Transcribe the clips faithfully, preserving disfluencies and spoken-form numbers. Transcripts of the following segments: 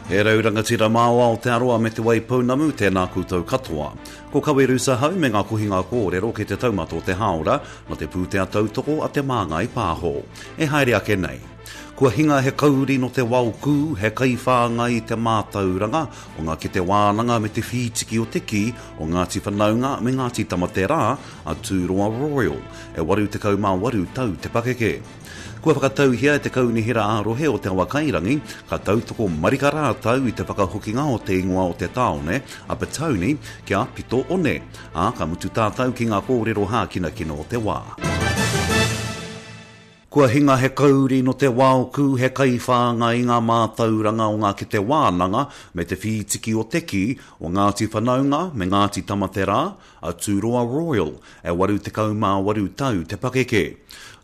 He rau rangatira mā o Aotearoa me Te Waipounamu, tēnā koutou katoa. Ko Kawerusa hau me ngā kohinga kōrero ki te taumata o te hāora, nā te pūtea tautoko a Te Māngai Pāho. E haere ake nei. Kua hinga he kauri no te waokū, he kaiwhāngai i te mātauranga o ngā kete wānanga me te whītiki o te kī o Ngāti Whanaunga me Ngāti Tamaterā a Tūroa Royal, e waru tekau mā waru tau te pakeke. Kua whakatauhia e te Kaunihera ā-Rohe o Te Awakairangi, ka tautoko marika rātou i te whakahokinga o te ingoa o te tāone, a Petone, kia Pito One, ā, ka mutu tātou ki ngā kōrero hākinakina o te wā. Kua hinga he kauri no te waokū, he kaiwhāngai i ngā mātauranga o ngā kete wānanga me te whītiki o te kī o Ngāti Whanaunga me Ngāti Tamaterā, a Tūroa Royal, e waru tekau mā waru tau te pakeke.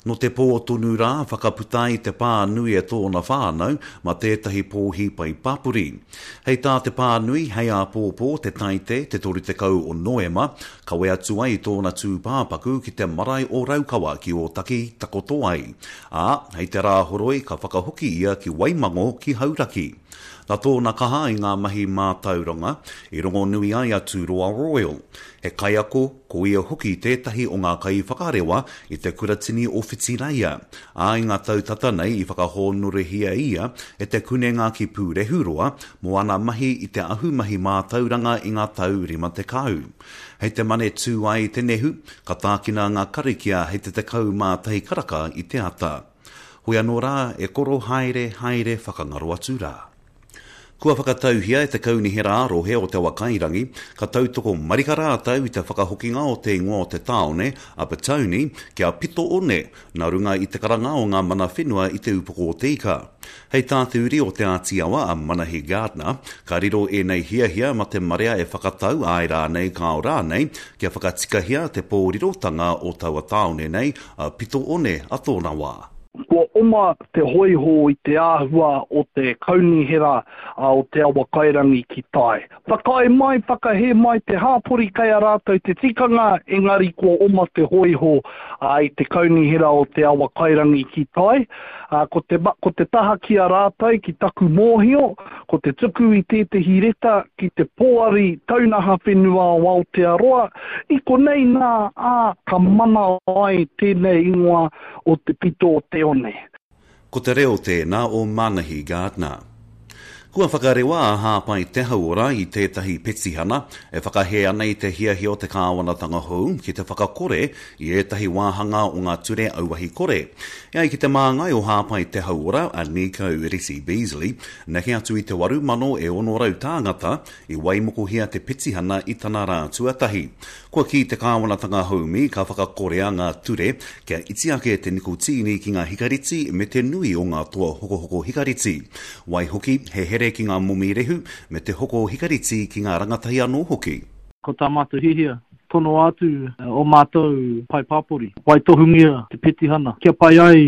No te pō tonu rā, whakaputa ai te pānui e tōna whānau ma tētahi pōhi pai pāpori. Hei tā te pānui, hei āpōpō te Taite, te toru tekau o Noema, kawe atu ai tōna tūpāpaku ki te marae o Raukawa ki Ōtaki takoto ai. Ā, hei te Rāhoroi ka whakahoki ia ki Waimango ki Hauraki. Nā tōna kaha i ngā mahi mātauranga, i rongonui ai a Tūroa Royal. He kaiako, ko ia hoki tētahi o ngā kaiwhakarewa i te kuratini o Whitireia. Ā, i ngā tau tata nei i whakahōnorehia ia e te kunenga ki Pūrehuroa mō ana mahi i te ahumahi mātauranga i ngā tau rima tekau. Hei te mane tū ai te nehu, ka tākina ngā karakia hei te tekau mā tahi karaka i te ata. Hoi anō rā, e koro haere, haere whakangaro atu rā. Kua whakatauhia e te Kaunihera ā-Rohe o Te Awakairangi, ka tautoko marika rātou i te whakahokinga o te ingoa o te tāone, a Petone, kia Pito One, nā runga i te karanga o ngā mana whenua i Te Upoko o Te Ika. Hei tā te uri o Te Āti Awa a Manahi Gardiner, ka riro ēnei hiahia ma te marea e whakatau āe rānei kāo rānei kia whakatikahia te pōrirotanga o taua tāone nei, a Pito One a tōna wā. Kua oma te hōiho i te āhua o te kaunihera o Te Awakairangi ki tai. Whakaae mai, whakahē mai te hāpori kei a rātou te tikanga, engari kua oma te hōiho i te kaunihera o Te Awakairangi ki tai. Ko te, ko te taha ki a rātou, ki taku mōhio, ko te tuku i tētehi reta ki te Poari Taunaha Whenua o Aotearoa, i konei nā, ā, ka mana ai tēnei ingoa o te pito o te one. Ko te reo tēnā o Manahi Gardiner. Kua whakarewa a Hāpai Te Hauora i tētahi petihana e whakahē ana i te hiahia o te kāwanatanga hou ki te whakakore i ētahi wāhanga o ngā ture auahi kore. E ai ki te māngai o Hāpai Te Hauora, a Nico Reti Beasley, neke atu i te waru mano e ono rau tāngata i waimokohia te petihana i tana rā tuatahi. Kua kī te kāwanatanga haumi ka whakakorea ngā ture kia iti ake te nikotīni ki ngā hikareti me te nui o ngā toa hokohoko hikareti. Waihoki, he here ki ngā momi rehu me te hoko hikareti ki ngā rangatahi anō hoki. Ko tā mātou hihia, tono atu o mātou pae pāpori, waitohungia te petihana, kia pai ai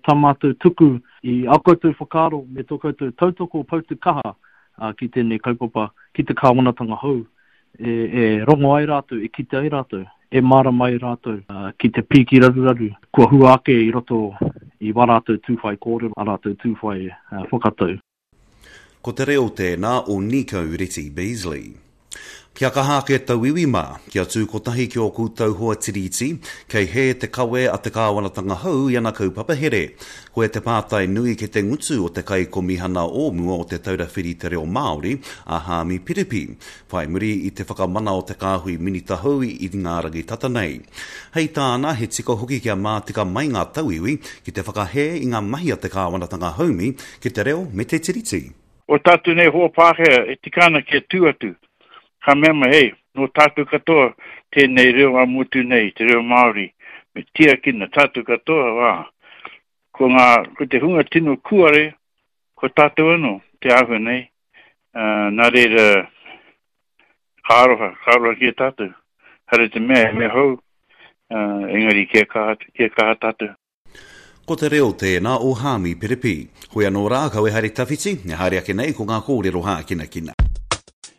tā mātou tuku i ā koutou whakaaro me tō koutou tautoko poutu kaha ki tēnei kaupapa, ki te kāwanatanga hou. E, e rongo ai rātou, e kite ai rātou, e mārama ai rātou ki te pīki raruraru kua hua ake i roto i wā rātou tūwhai kōrero, ā rātou tūwhai whakatau. Ko te reo tēnā o Nico Reti Beasley. Kia kaha ake tauiwi mā, kia tū kotahi ki ō koutou hoa tiriti, kei hē te kawe a te kāwanatanga hou i ana kaupapa here. Koe te pātai nui ki te ngutu o te kaikomihana o mua o te Taura Whiri Te Reo Māori, a Haami Piripi, whai muri i te whakamana o te kāhui minita hou i ngā rangi tata nei. Hei tāna, he tika hoki kia mātika mai ngā tauiwi ki te whakahē i ngā mahi a te kāwanatanga haumi ki te reo me te tiriti. O tātou nei hoa Pākehā e tika ana kia tū atu. Ka mea mai, hei, nō tātou katoa tēnei reo a motu nei, te reo Māori, me tiakina tātou katoa, wā. Ko ngā, ko te hunga tino kuare, ko tātou anō, te āhua nei, uh, nā reira, ka aroha, ka aroha ki a tātou. Hare te mea, he mea hou, uh, engari kia kaha, kia kaha tātou. Ko te reo tēnā o Haami Piripi. Hoi anō rā, kau e haere tawhiti, e haere ake nei ko ngā kōrero hākinakina.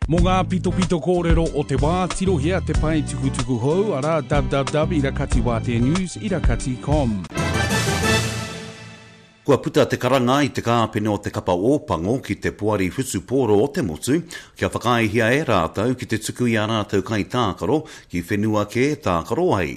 Mō ngā pitopito kōrero o te wā, tirohia te pae tukutuku hou, arā www irakatiwāteanews irakati com. Kua puta te karanga i te kāpene o te kapa Ōpango ki te poari whutupōro o te motu kia whakaaehia e rātou ki te tuku i ā rātou kaitākaro ki whenua kē tākaro ai.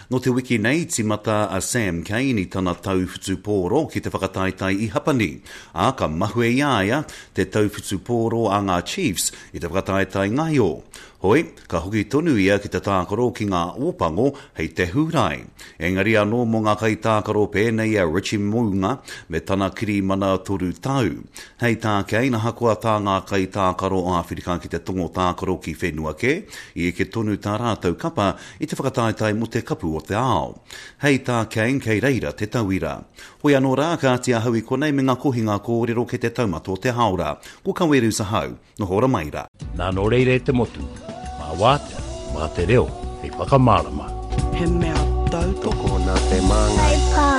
Nō te wiki nei tīmata a Sam Cane i tana tau whutupōro ki te whakataetae i Hapani, ā, ka mahue i a ia te tau whutupōro a ngā Chiefs i te whakataetae ngaio. Hoi, ka hoki tonu ia ki te tākaro ki ngā Ōpango hei te Hūrae. Engari anō mō ngā kaitākaro pēnei i a Richie Mounga me tana kirimana toru tau. Hei tā Kane, ahakoa tā ngā kaitākaro o Āwherika ki te Tongo tākaro ki whenua kē, i eke tonu tā rātou kapa i te whakataetae mō te Kapu o te Ao. Hei tā Kane, kei reira te tauira. Hoi anō rā, kāti ahau i konei me ngā kohinga kōrero kei te taumata o te hāora. Ko Kawerus ahau. Noho ora mai rā. Nā, nō reira e te motu, mā wātea, mā te reo hei whakamārama. He mea tautoko nā te Māngai.